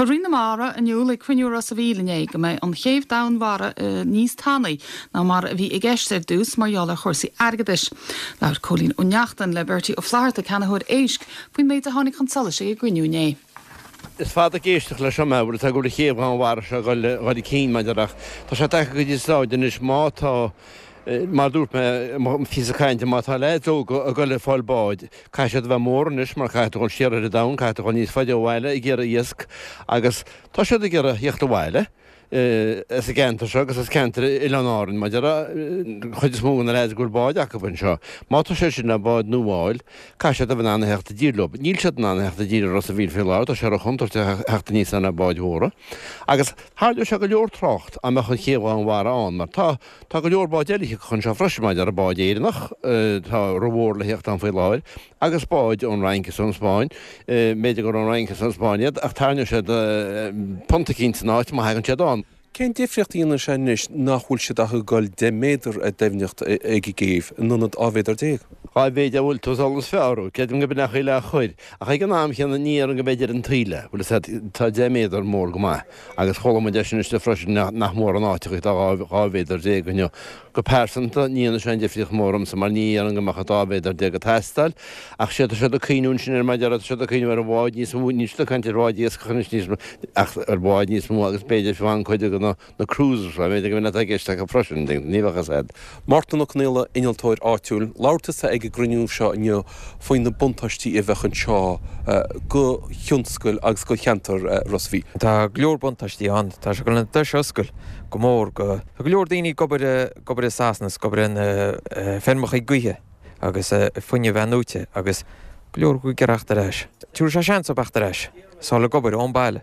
Chuir Roinn na Mara in iúl ag cruinniú i Ros a' Mhíl inné go mbeidh an chéibh domhainmhara níos tanaí ná mar a bhí i gceist ar dtús mar gheall ar chúrsaí airgeadais. Labhair Cóilín Ó Neachtain le Bertie Ó Flatharta, ceannaitheoir éisc, faoin méid a tháinig chun solais ag an gcruinniú inné. Is fada ag éisteacht leis seo mé, bhfuil a fhios agat go bhfuil an chéibh dhomhainmhara seo ag dul chun cinn maidir ach tá sé tagtha go dtí an stáid anois má tá, mar a dúirt mé i mo phíosa cainte, má tá leaids óga ag dul ag fáil báid, caithfidh siad a bheith mór anois mar caithfidh tú dul siar ar an domhan, caithfidh tú dul níos faide ó bhaile ag iarraidh iasc agus tá siad ag iarraidh theacht abhaile. as an gceantar seo agus as ceantar Oileáin Árann, mar a déarfá, an chuid is mó de na leaids go bhfuil báid acu anseo. Má tá siad sin le bád nua a fháil, caithfidh siad a bheith in ann a theacht i dtír leo. Níl siad in ann a theacht i dtír i Ros a' Mhíl faoi láthair, tá sé ró-chontúirteach a theacht aníos ann le báid mhóra. Agus tharraingeodh sé go leor trácht dá mbeadh an chéibh dhomhainmhara ann, mar tá tá go leor báid eile a thiocfadh anseo freisin, mar a déarfá báid Éireannach, tá rómhór le theacht ann faoi láthair, agus báid ón Fhrainc is ón Spáinn, b'fhéidir gur ón Fhrainc is ón Spáinn iad, ach tarraingeoidh siad punt eicínt san áit má thagann siad ann. Cén difríocht a dhéanann sé anois nach bhfuil siad ach ag dul 10 méadar i doimhneacht ag an gcéibh in ionad 12 mhéadar? Dhá bhféadfá bhfuil tú ag dul is fearr, creidim go b'in é an chaoi le a chur, ach ag an am chéanna ní déarfainn go mb'fhéidir an taoille, bhfuil fhios agat, tá 10 méadar mór go maith, agus chuala muid é sin istigh freisin nach mór an áit a tá 12 mhéadar inniu. Go pearsanta, ní dhéanfaidh sé aon difríocht mhór domsa mar ní dhéarfainn go mbeadh an 12 mhéadar ag teastáil. Ach sé tá siad ag cuimhniú ansin ar mar a déarfá, tá siad ag cuimhniú ar bháid níos mó, níl siad ag caint ar bháid iascach anois níos mó ach ar bháid níos mó agus b'fhéidir fiú amháin cuid de na na cruisers, b'fhéidir go mb'in atá i gceist acu freisin, ní bheadh fhios a'd. Mártan Ó Conaola, innealtóir áitiúil, labhair tusa ag an gcruinniú seo inniu faoi na buntáistí a bheadh anseo go thionscal agus go cheantar Ros a' Mhíl. Tá go leor buntáistí ann. Tá sé chun an dois a oscailt go mór go. Tá go leor daoine ag obair, ag obair i Sasana is ag obair ar na feirmeacha gaoithe agus fuinneamh athnuaite agus go leor acu ag iarraidh theacht ar ais. Tabharfaidh sé seans dóibh theacht ar ais is fáil ag obair ón baile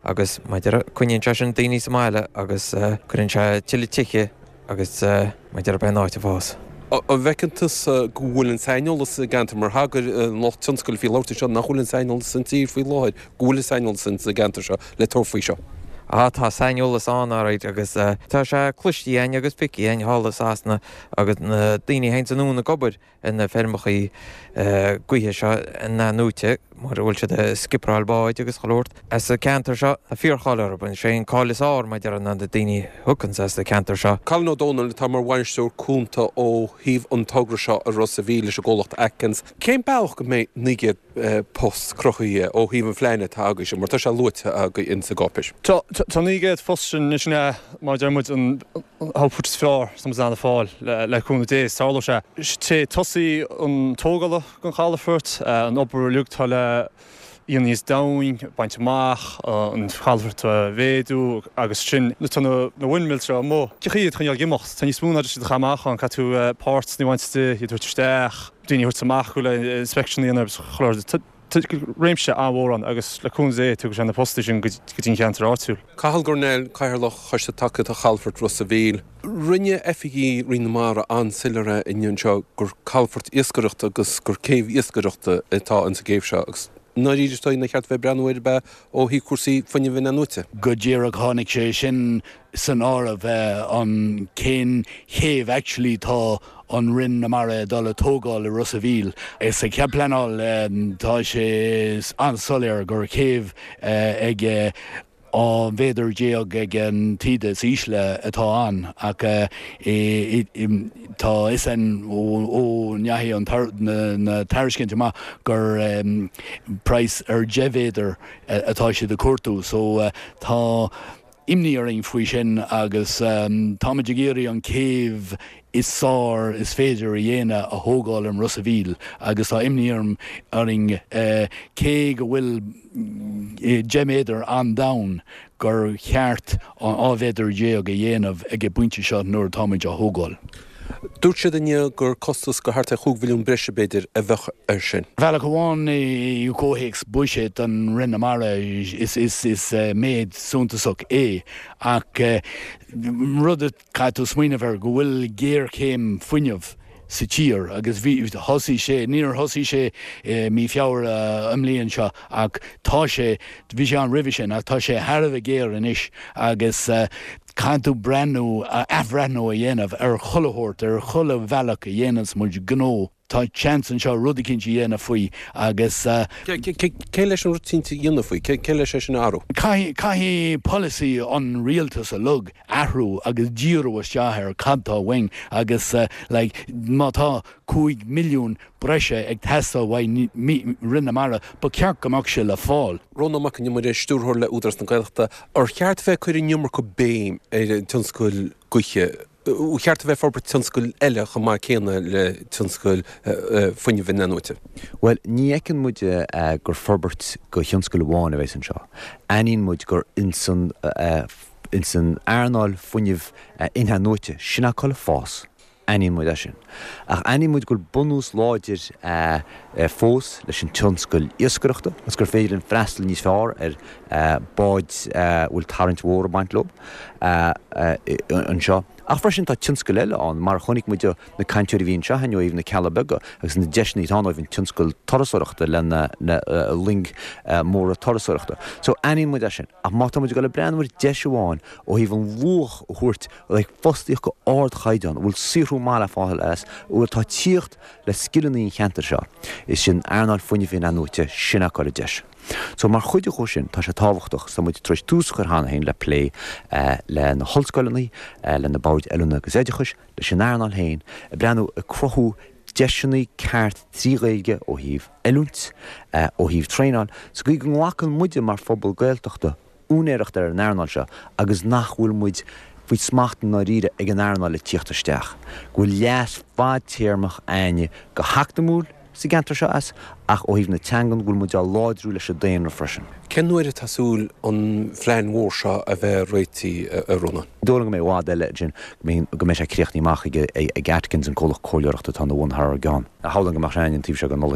agus mar a déarfá coinníonn sé sin daoine sa mbaile agus cuireann sé tuilleadh tithe agus mar a déarfá beidh an áit ag fás. An bhfeiceann tusa go bhfuil an saineolas sa gceantar mar thagair an lucht tionscail a bhí ag labhairt anseo nach bhfuil an saineolas san tír faoi láthair, go bhfuil an saineolas sa gceantar seo le tabhairt faoi seo? Ah tá saineolas ann alright agus tá sé cloiste againn agus feicthe againn thall i Sasana agus na daoine a théanns anonn ag obair ar na feirmeachaí gaoithe seo in-athnuaite mar a bhfuil siad ag sciperáil báid agus chuile shórt as an ceantar seo tá fíorcháil orthu is é an cáil is fearr mar a déarfá ná na daoine a thiocfanns as an ceantar seo. Colin Ó Dónaill atá mar bhainisteoir cúnta ó thaobh an togra seo i Ros a' Mhíl leis an gcomhlacht Atkins. Cén bealach go mbeidh 900 post cruthaithe ó thaobh an phlean atá agaibhse, mar tá sé luaite agaibh insa gcáipéis. Tá 900 phost sin anois, sin é, mar a deir muid, an output is fearr atá muid in ann a fáil le cúnamh Dé, is tarlóidh sé. Tré tosaí an tógála den chalafort, an obair uilig atá le dhéanamh níos domhain, baint amach, an calafort a mhéadú agus sin, tá na windmills seo amuigh, cén chaoi iad a choinneáil ag imeacht, tá níos mó ná just iad a chaitheamh amach ann, caithfidh tú parts a bhaint de, iad a thabhairt isteach. daoine a thabhairt amach le inspection a dhéanamh agus chuile shórt. Tá réimse an-mhór ann agus le cúnamh Dé tugann sé na postaí sin go dtí an cheantar áitiúil. Cathal Gurnell, Cathaoirleach Choiste Tacaíochta Chalafort Ros a' Mhíl. Rinne oifigigh Roinn na Mara an-soiléir é inniu anseo gur calafort iascaireachta agus gur céibh iascaireachta atá ins an gcéibh seo agus i ndáiríre is dóigh nár cheart a bheith ag breathnú air ab ea ó thaobh cúrsaí fuinnimh in-athnuaite. Go díreach tháinig sé sin san áireamh an cén chéibh actually tá an Roinn na Mara ag dul a tógáil i Ros a' Mhíl. Sa chead pleanáil tá sé an-soiléir gur céibh ag 12 mhéadar ag an taoide is ísle atá ann ach tá a fhios againn ó ndeachaigh na tairiscint amach gur praghas ar 10 mhéadar atá siad ag cuartú so tá imní orainn faoi sin agus táimid ag iarraidh an céibh is fearr is féidir a dhéanamh a thógáil i Ros a' Mhíl agus tá imní orainn cé go bhfuil 10 méadar an-domhain gur cheart an 12 mhéadar a dhéanamh ag an bpointe seo nuair atáimid á thógáil. Dúirt siad inniu gur costas go thart ar chúig mhilliún breise, b'fhéidir, a bheadh air sin. Ar bhealach amháin, i gcomhthéacs buiséad an Roinn na Mara, is méid suntasach é ach rud a caithfidh tú smaoineamh air go bhfuil géarchéim fuinnimh sa tír agus bhí, thosaigh sé, níor thosaigh sé i mí Feabhra an mbliain seo ach tá sé, bhí sé ann roimhe sin ach tá sé thar a bheith géar anois agus caithfidh tú breathnú, athbhreathnú a dhéanamh ar chuile shórt, ar chuile bhealach a dhéananns muid gnó. Tá seans anseo rud eicínt a dhéanamh faoi agus. Cé leis an rud eicínt a dhéanamh faoi? Cé leis é sin a athrú? Caithfidh polasaí an rialtais uilig athrú agus díriú isteach ar cad tá uainn agus like má tá 5 milliún breise ag teastáil uaidh Roinn na Mara ba cheart go mbeadh sé le fáil. Rónán Mac Con Iomaire, Stiúrthóir le Údarás na Gaeltachta, Ar cheart a bheith ag cur an iomarca béim ar an tionscal gaoithe? Ar cheart a bheith ag forbairt tionscail eile chomh maith céanna le tionscal fuinnimh in-athnuaite? Bhuel, ní fheiceann muid gur forbairt go thionscal amháin a bheas anseo. Aithníonn muid gur ins an ins an earnáil fuinnimh in-athnuaite, sin atá le fás. Aithníonn muid é sin. Ach aithníonn muid go bhfuil bunús láidir fós leis an tionscal iascaireachta agus gur féidir linn freastal níos fearr ar báid a bhfuil tarraingt mhór ag baint leo anseo. Ach freisin tá tionscail eile ann, mar a chonaic muid ó na cainteoirí a bhí anseo inniu ó thaobh na Cealla Beaga agus na deiseanna atá ann ó thaobh an tionscal turasóireachta le na loing mhóra turasóireachta. So aithníonn muid é sin. Ach má tá muid ag dul ag breathnú ar deis amháin ó thaobh an luach a thabhairt le fostaíocht go ardchaighdeán, a bhfuil saothrú maith le fáil as, a bhfuil atá ag tíocht le scileanna an cheantair seo, is sin earnáil fuinnimh in-athnuaite, sin atá ar an deis. So mar chuid de sin, tá sé tábhachtach, tá muid tar éis tús a chur cheana féin le plé le na hollscoileanna, le na boird oiliúna agus oideachais, leis an earnáil féin, ag breathnú ag cruthú deiseanna ceart trí Ghaeilge ó thaobh oiliúint, ó thaobh traenáil, sa gcaoi go nglacann muide mar phobal Gaeltachta úinéireacht ar an earnáil seo agus nach bhfuil muid faoi smacht i ndáiríre ag an earnáil ag tíocht isteach, go bhfuil leas fadtéarmach a'inne go heacnamúil sa gceantar seo as, ach ó thaobh na teangan go bhfuil muid á láidriú leis an daonra freisin. Cén uair atá súil an phlean mhór seo a bheith réitithe, a Rónáin? Ní dóigh liom go mbeidh i bhfad eile ansin go mbeidh sé críochnaithe amach ag Atkins, an comhlacht comhairleoireachta atá ina bhun thar ár gceann. Shamhlóinn go mbeadh sé a'inn an taobh seo den Nollaig.